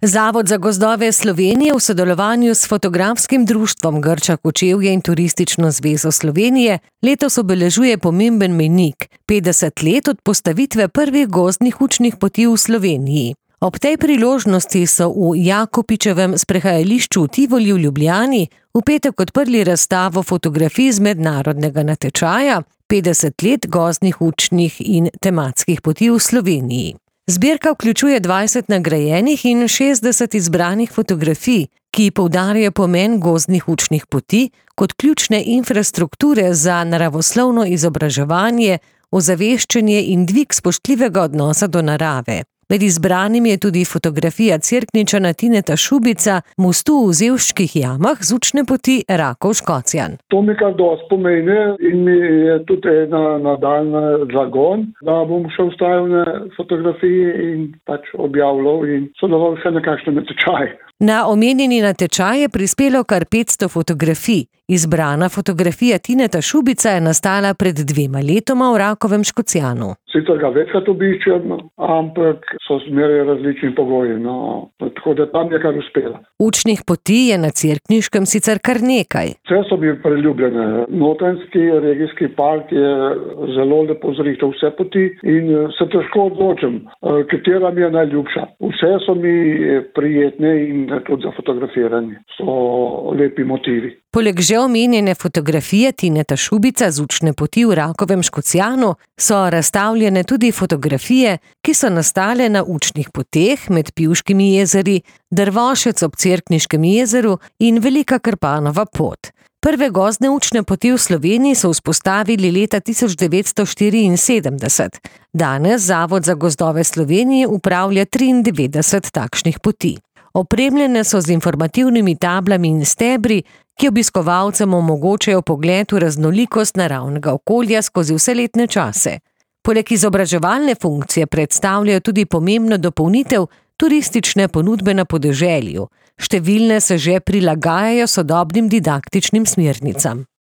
Zavod za gozdove Slovenije v sodelovanju s Fotografskim društvom Grča Kočevje in Turistično zvezo Slovenije letos obeležuje pomemben mejnik – 50 let od postavitve prvih gozdnih učnih poti v Sloveniji. Ob tej priložnosti so v Jakopičevem sprehajališču v Tivoli v Ljubljani v petek odprli razstavo fotografij z mednarodnega natečaja 50 let gozdnih učnih in tematskih poti v Sloveniji. Zbirka vključuje 20 nagrajenih in 60 izbranih fotografij, ki poudarjajo pomen gozdnih učnih poti kot ključne infrastrukture za naravoslovno izobraževanje, ozaveščanje in dvig spoštljivega odnosa do narave. Med izbranimi je tudi fotografija Cerkničana Tineta Šubica mostu v Zevščkih jamah z učne poti Rakov-Škocjan. To mi kar dosti pomeni in mi je tudi ena nadaljna zagon, da bom še vstajal na fotografiji in objavljal in sodeloval še na kakšnem natečaju. Na omenjeni natečaj je prispelo kar 500 fotografij. Izbrana fotografija Tineta Šubica je nastala pred 2 letoma v Rakovem Škocjanu. Sicer ga večkrat obiščem, ampak so zmeraj različni pogoji, tako da tam je kar uspela. Učnih poti je na Cerkniškem sicer kar nekaj. Vse so mi priljubljene. Notranjski regijski park je zelo lepo zrihtal vse poti in se težko odločim, katera mi je najljubša. Vse so mi prijetne in tudi za fotografiranje. So lepi motivi. Poleg že omenjene fotografije Tineta Šubica z učne poti v Rakovem Škocjanu so razstavljene tudi fotografije, ki so nastale na učnih poteh med Pivškimi jezeri, Drvošec ob Cerkniškem jezeru in Velika Krpanova pot. Prve gozdne učne poti v Sloveniji so vzpostavili leta 1974. Danes Zavod za gozdove Slovenije upravlja 93 takšnih poti. Opremljene so z informativnimi tablami in stebri, ki obiskovalcem omogočajo pogled v raznolikost naravnega okolja skozi vse letne čase. Poleg izobraževalne funkcije predstavljajo tudi pomembno dopolnitev turistične ponudbe na podeželju. Številne se že prilagajajo sodobnim didaktičnim smernicam.